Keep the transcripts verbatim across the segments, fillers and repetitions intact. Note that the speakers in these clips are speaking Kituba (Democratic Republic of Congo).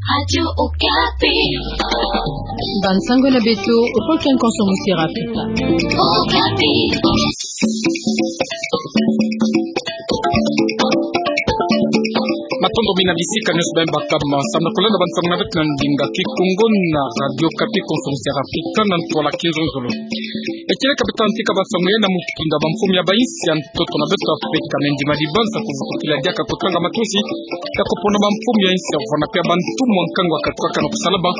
Radio Okapi. Bansango na beto, okoki nkonso mosera Afrika. Okapi. Matondo mingi na bisika nyonso beno baka ma samu na kolanda bansango na beto na ndinga Kikongo na Radio Okapi, nkonso mosera Afrika, na ntwala kizonzolo. Ekele ka beto antika bansango ya na mutindu ya bamfumu ya bainsi ya ntoto na beto Afrika, me ndima dibanza kuvutukila diaka kotanga matosi ya kopona bamfumu ya insi ya vwanda pe ya bantu mwa nkangu ya katuka kana kusalama.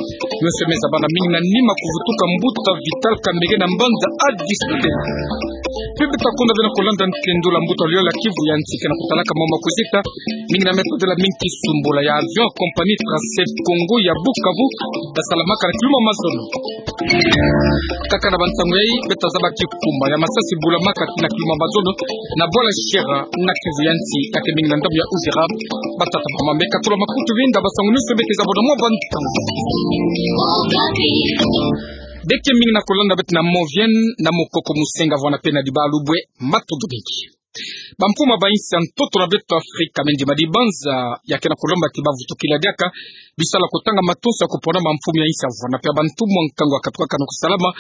Nyonso me zaba na mingi na nima kuvutuka mbuta Vital Kamerhe na mbanza Addis Abeba. Pe beto ta konda ve na kolanda ntendolo ya mbuta luyali ya Kivu ya Nsi ke na kutalaka mama kuzita mingi na me kotela mingi kisumbola ya avion ya compagnie Tracep Congo ya Bukavu, ya salamaka na kiluma mazono. Kaka na bansango yai, beto ta zaba kikumba ya masasi bulamaka tii na kiluma mazono na bwala Shera na Kivu ya Nsi, ya ke mingi na ndambu ya Uvira. Batata, bamama, me katula makutu, binda bansango nyonso bete zaba na mwa bantu. Beke mingi na kolanda beto na Movienne, na Mokoko Musenga, vwanda pe na Dibalubwe, matondo mingi. Bamfumu ya bainsi ya ntoto na beto Afrika, me ndima dibanza ya ke na kolomba ti bavutukila diaka bisalu ya kotanga matosi ya kopona bamfumu ya insi ya vwanda pe ya bantu mwa nkangu ya katuka kana kusalama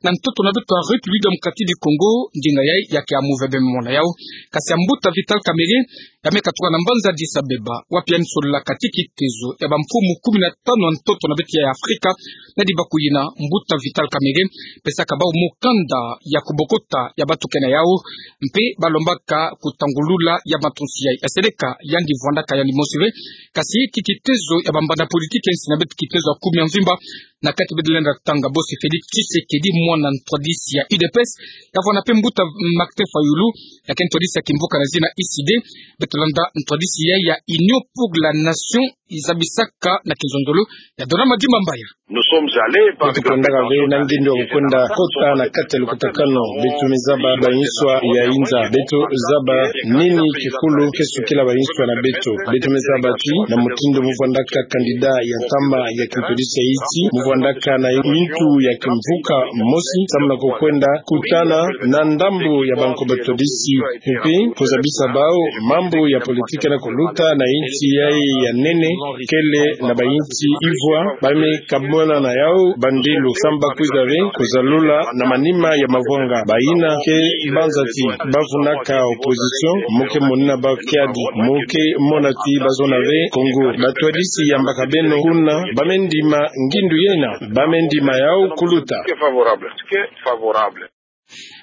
na ntoto na beto ya République Démocratique du Congo. Ndinga yai ya ke ya move beno mona yau. Kasi ya mbuta Vital Kamerhe, ya me katuka na mbanza Addis Abeba, wapi ya me sololaka tii kitezo ya bamfumu kumi na tanu ya ntoto na beto ya Afrika, na dibaku yina, mbuta Vital Kamerhe pesaka bau mukanda ya kubokota ya batukene yau, mpe balombaka kutangulula ya matosi yai. Ya seleka yandi vwandaka yandi mosi ve, kasi tii kitezo ya bambanda politiki ya insi na beto, kitezo ya kumi ya mvimba, na kati beto lenda tanga bosi Félix Tshisekedi, mwana ntwadisi ya U D P S, ya vwanda pe mbuta Martin Fayulu, ya ke ntwadisi ya kimvuka na zina U C D, beto landa ntwadisi yai ya Union pour la Nation, izabisaka na kizonzolo ya Donama Dimbambaya. Beto kwendaka ve na ngindu ya kukwenda kota na kati ya lukutakanu. Beto me zaba bainsi ya inza. Beto zaba nini kikulu ke sukila bainsi na beto. Beto me zaba ti na mutindu mu vwandaka candidat ya ntama ya kintwadisi ya insi, mu vwandaka na mutu ya kimvuka mosi, samu na kukwenda kutana na ndambu ya banko batwadisi, mpe kuzabisa bau mambu ya politiki na kuluta na insi yai ya nene, kele na bainsi ivwa, ba me ka mona na yau bandilu, samu ba kwiza ve kuzalula na manima ya mavwanga. Bayina ke banza ti bavunaka opposition, mu ke monina bau kiadi, mu ke mona ti bazona ve Congo. Batwadisi yambaka beno kuna, ba me ndima ngindu yina, ba me ndima yau kuluta.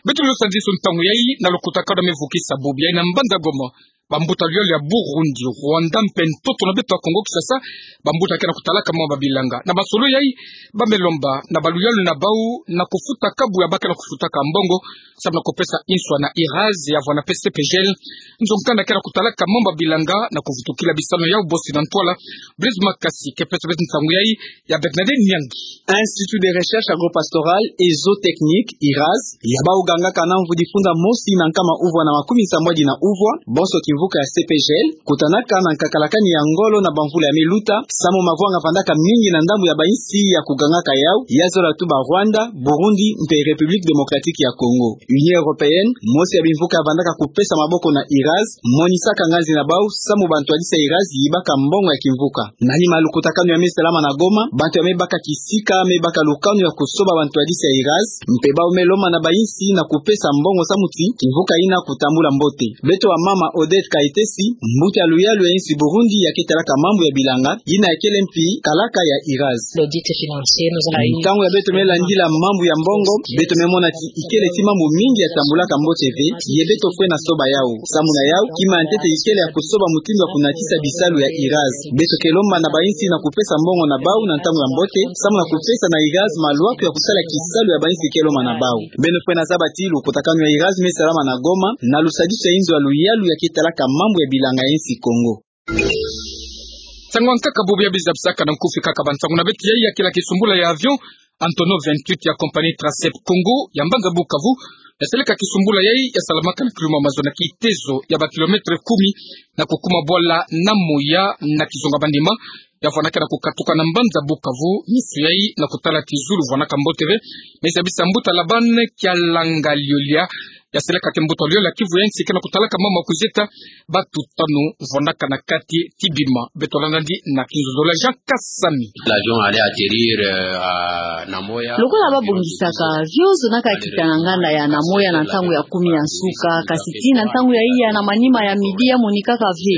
Beto lenda sadisa ntangu yai na lukutakanu me vukisa bubu yai na mbanza Goma. Bambuta luyali ya Burundi, Rwanda mpe ntoto na beto ya Congo Kinshasa, bambuta ke na kutalaka mwa babilanga. Na masolo yai, ba me lomba na baluyali na bau na kufuta kabu ya ba ke na kufutaka mbongo, samu na kupesa inswa na IRAS ya vwanda pe CPGL, nzo nkanda ke na kutalaka mwa babilanga na kuvutukila bisalu yau. Bosi na ntwala, Blaise Makasi ke pesa beto nsangu yai, ya Bernadette Nyangi. Institut de Recherche Agro-Pastorale et Zootechnique, IRAS, ya bau gangaka na mvu difunda mosi na nkama uvwa na makumi sambwadi na uvwa, bonso kimvuka ya CPGL, kutanaka na nkakalakani ya ngolo na bamvula ya me luta, samu mavwanga vandaka mingi na ndambu ya bainsi ya kugangaka yau, ya zola tu ba Rwanda, Burundi, mpe République Démocratique ya Congo. Union Européenne, mosi ya bimvuka ya vandaka kupesa maboko na IRAS, monisaka nganzi na bau, samu bantwadisi ya IRAS yibaka mbongo ya kimvuka. Na nima lukutakanu ya me salama na Goma, bantu ya me baka kisika me baka lukanu ya kusoba bantwadisi ya IRAS, mpe bau me lomba na bainsi na kupesa mbongo samu ti kimvuka yina kutambula mbote. Beto wa mama Odette Kayitesi, mbuta ya luyalu ya insi Burundi ya ke talaka mambu ya bilanga, yina ya kele mpi kalaka ya IRAS. Ntangu ya beto me landila mambu ya mbongo, beto me mona ti ikele ti mambu mingi ya tambulaka mbote ve, ye beto fwena soba yau. Samu na yau, kima ya ntete ikele ya kusoba mutindu ya kunatisa bisalu ya IRAS. Beto ke lomba na bainsi na kupesa mbongo na bau na ntangu ya mbote, samu na kupesa na IRAS maluaku ya kusala kisalu ya bainsi ke lomba na bau. Beno fwena zaba ti lukutakanu ya IRAS me salama na Goma, na lusadisu ya inzo ya luyalu ya ke talaka mambu ya bilanga ya insi Congo. Nsangu ya nkaka bubu ya bizabisaka na nkufi kaka bansangu na beto yai, ya kele kisumbula ya avion Antonov vingt-huit ya compagnie Tracep Congo ya mbanza Bukavu, ya seleka kisumbula yai ya salamaka na kiluma mazono na kitezo ya ba kilomètre kumi na kukuma bwala na moya na kizonga bandima, ya vwanaka na kukatuka na mbanza Bukavu. Misu yai na kutala tizulu vwanaka mbote ve, me zabisa mbuta Laban Kialanga Liolia, ya seleka ke mbuta luyolo ya Kivu ya nsi ke na kutalaka mama kuzieta batu tanu vwanaka na kati ti bima. Beto landa ndi na kinzonzolo ya Jean Kasami. L'avion allait atterrir, euh, à Namoya. Lokola babongisaka, avion zonaka kita na nganda ya Namoya na ntangu ya kumi ya nsuka, kasi tii na ntangu ya iya na manima ya midi ya monikaka ve.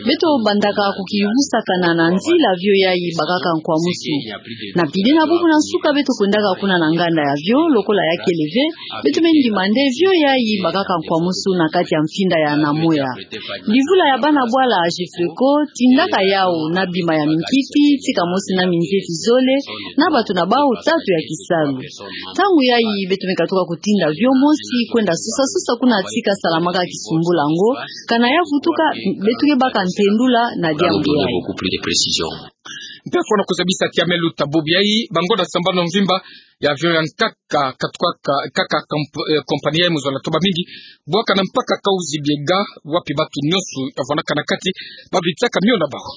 Beto bandaka kukiyuvusakana na nzila avion yayi bakaka nkwamusu. Na pide na bubu na nsuka beto kwendaka kuna na nganda ya avion, lokola ya kele ve, beto me ndima nde avion yayi bakaka nkwamusu na kati ya mfinda ya Namoya. Livula ya bana bwala ya Jefeco tindaka yawu na bima ya minkiti, tika mosi na minzeti zole, na batu na bawu tatu ya kisalu. Ntangu yayi beto me katuka kutinda avion mosi kwenda sosa sosa kuna tika salamaka kisumbula ngo, kana ya vutuka, beto ke baka ntendula na diambu yayi. Mpe fwana kuzabisa ti ya me luta bubu yayi, bangonda sambanu mvimba ya avion ya nkaka, katuka ka-, kaka kamp-, eh, kompani yayi mu zola toba mingi, bwaka na mpaka Kahuzi-Biega, wapi batu nyonso ya vwanaka na kati, babitaka mio na bawu.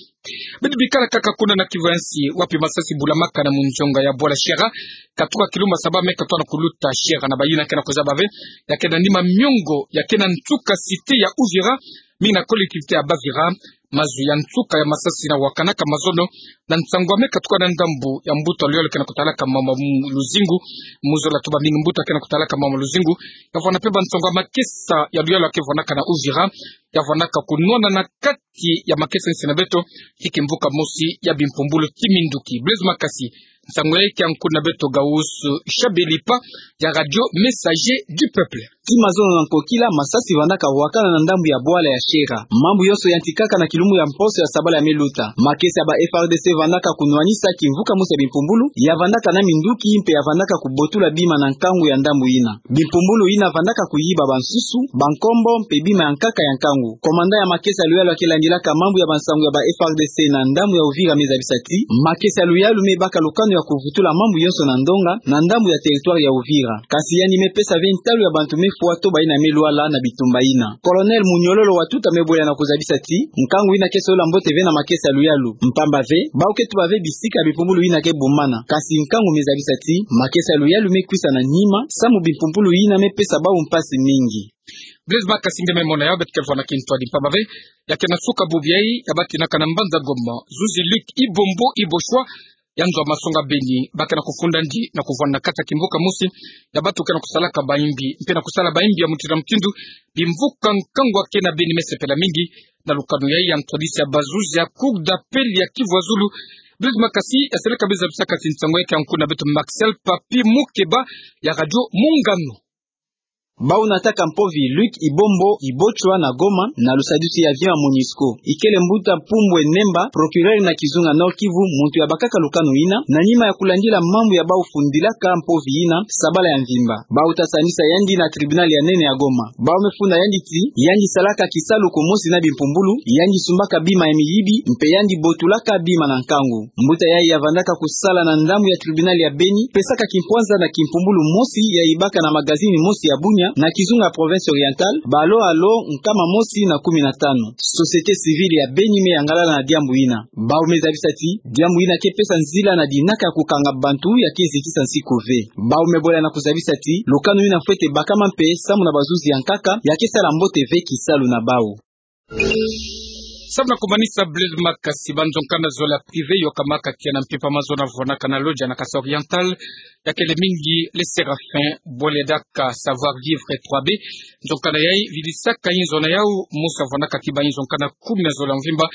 Beto bikala kaka kuna na Kivu ya nsi, wapi masasi bulamaka na munzonga ya bwala Shera, katuka kilumbu saba me katuka na kuluta Shera na bayina ke na kuzaba ve, ya ke na nima miongo, ya ke na nsuka cité ya Uvira, mingi na collectivité ya Bavira, mazu ya nsuka ya masasi na wakanaka mazono, na nsangu ya me katuka na ndambu ya mbuta luyolo ke na kutalaka mama Luzingu, mu zola toba mingi mbuta ke na kutalaka mama Luzingu, ya vwana mpe bansangu ya makesa ya luyolo ke vwanaka na Uvira, ya vwanaka kunwana na kati ya makesa nsi na beto, ti kimvuka mosi ya bimpumbulu ti minduki. Blaise Makasi, nsangu yayi ke ya nkundi na beto Gauss Shabelipa ya Radio Messager du Peuple. Ti mazono na nkokila, masasi vandaka wakana na ndambu ya bwala ya Shera. Mambu yonso yantikaka na kilumbu ya mposo ya sabala ya me luta. Makesa ya ba F A R D C vandaka kunwanisa kimvuka mosi ya bimpumbulu, ya vandaka na minduki, mpe ya vandaka kubotula bima na nkangu ya ndambu yina. Bimpumbulu yina vandaka kuyiba bansusu, bankombo, mpe bima ya nkaka ya nkangu. Komanda ya makesa ya luyalu ya ke landilaka mambu ya bansangu ya ba F A R D C na ndambu ya Uvira me zabisa ti, makesa ya luyalu me baka lukanu ya kuvutula mambu yonso na ndonga, na ndambu ya territoire ya Uvira. Kasi yandi me pesa ve ntalu ya bantu me fwa to bayina me lwala na bitumba yina. Colonel Munyololo Watuta me bwela na kuzabisa ti, nkangu yina ke solola mbote ve na makesa ya luyalu. Mpamba ve, bawu ke tuba ve bisika ya bimpumbulu yina ke bumana. Kasi nkangu me zabisa ti, makesa ya luyalu me kwisa na nima, samu bimpumbulu yina me pesa bawu mpasi mingi. Blaise Makasi nge me mona yawu, beto ke vwa na kintwadi mpamba ve, ya ke na suka bubu yayi, ya batinaka na mbanza Goma, zuzi Luc Ibombo Iboshwa, ya nzo ya masonga Beni, ba ke na kufunda ndi na kuvwanda na kati ya kimvuka mosi ya bantu ke na kusalaka bayimbi, mpe na kusala bayimbi ya mutindu na mutindu, bimvuka nkangu ya ke na Beni me sepela mingi, na lukanu yayi ya ntwadisi ya bazuzi ya Cour d'appel ya Kivu ya Zulu. Blaise Makasi, ya seleka be zabisaka ti nsangu yayi ke ya nkundi na beto Marcel Papi Mukeba ya Radio Mungano. Bawu nataka mpovi Luc Ibombo Ibochwa na Goma, na lusadusi ya avion ya Monusco. Ikele mbuta Pumbwe Nemba, procureur na kizunga Nord-Kivu, muntu ya bakaka lukanu yina, na nima ya kulandila mambu ya bawu fundilaka mpovi yina, sabala ya mvimba. Bawu ta sandisa yandi na tribunal ya nene ya Goma. Bawu me funda yandi ti, yandi salaka kisalu kumosi na bimpumbulu, yandi sumbaka bima ya miyibi, mpe yandi botulaka bima na nkangu. Mbuta yayi ya vandaka kusala na ndambu ya tribunal ya Beni, pesaka kimpwanza na kimpumbulu mosi ya yibaka na magazini mosi ya Bunia, na kizunga ya Province Orientale, ba alo alo nkama mosi na kumi na tanu. Société civile ya Beni me yangalala na diambu yina. Bawu me zabisa ti, diambu yina ke pesa nzila na dinaka ya kukanga bantu ya ke zitisa nsiku ve. Bawu me bwela na kuzabisa ti, lukanu yina fwete bakama mpe samu na bazuzi ya nkaka, ya ke sala mbote ve kisalu na bawu. Samu na kumanisa, Blaise Makasi, banzo nkanda zola privé yokamaka tiya na mpimpa mazono vwanaka na Lodja na Kasaï Oriental, ya kele mingi Les Séraphins, bwela daka Savoir Vivre trois B. Nzo nkanda yayi vidisaka inzo na yawu, mosi ya vwanaka ti bainzo nkanda kumi na zola mvimba,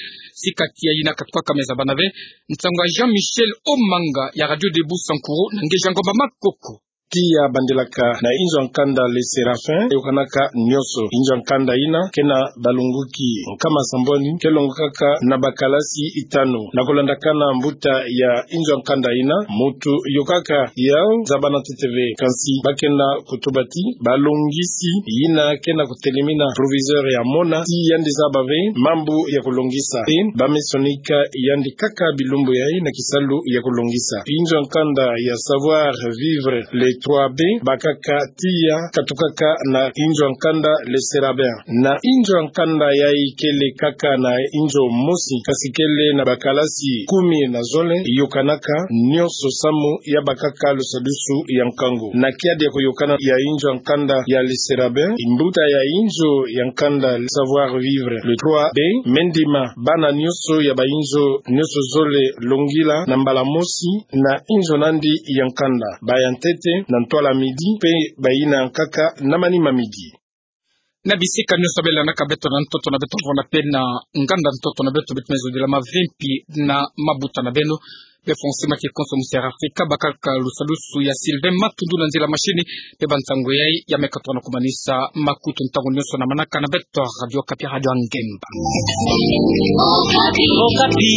sika tiya yina katukaka me zabana ve. Nsangu ya Jean-Michel Omanga ya Radio Debout Sankuru na nge Jean Ngomba Makoko. Tiya bandilaka na inzo ya nkanda Les Séraphins, yokanaka nionso. Inzo ya nkanda yina ke na balongoki nkama sambwani, ke longokaka na bakalasi itanu. Na kulandakana mbuta ya inzo ya nkanda yina, muntu yokaka yau zabana ntete ve. Kansi ba ke na kutuba ti, balongisi yina ke na kutelemina proviseur ya mona, ti yandi zaba ve mambu ya kulongisa. Pe ba me sonika yandi kaka bilumbu yayi na kisalu ya kulongisa. Inzo ya nkanda ya Savoir Vivre les trois B, bakaka tiya katukaka na inzo ya nkanda Le Sérabin. Na inzo ya nkanda yayi kele kaka na inzo mosi, kasi kele na bakalasi kumi na zole, yokanaka nionso samu ya bakaka lusadusu ya nkangu. Na kiadi ya koyokana ya inzo ya nkanda ya Le Sérabin, mbuta ya inzo ya nkanda Savoir-vivre Le trois B, me ndima bana nionso ya bainzo nionso zole longila na mbala mosi na inzo nandi ya nkanda. Baya ntete na ntwala midi, mpe bayina nkaka na manima midi. Na bisika nionso belanaka beto na ntoto na beto, vona mpe na nganda ntoto na beto, beto mezodila mavimpi na mabuta na beno. Befo nsi ma kikonso mu Terre Africa, bakaka lusadusu ya Sylvain Matundu na nzila machine, mpe bansango yayi ya meka toko na kumanisa makutu ntangu nionso na manaka na beto Radio Okapi, Radio ya Ngemba. Okapi. Okapi.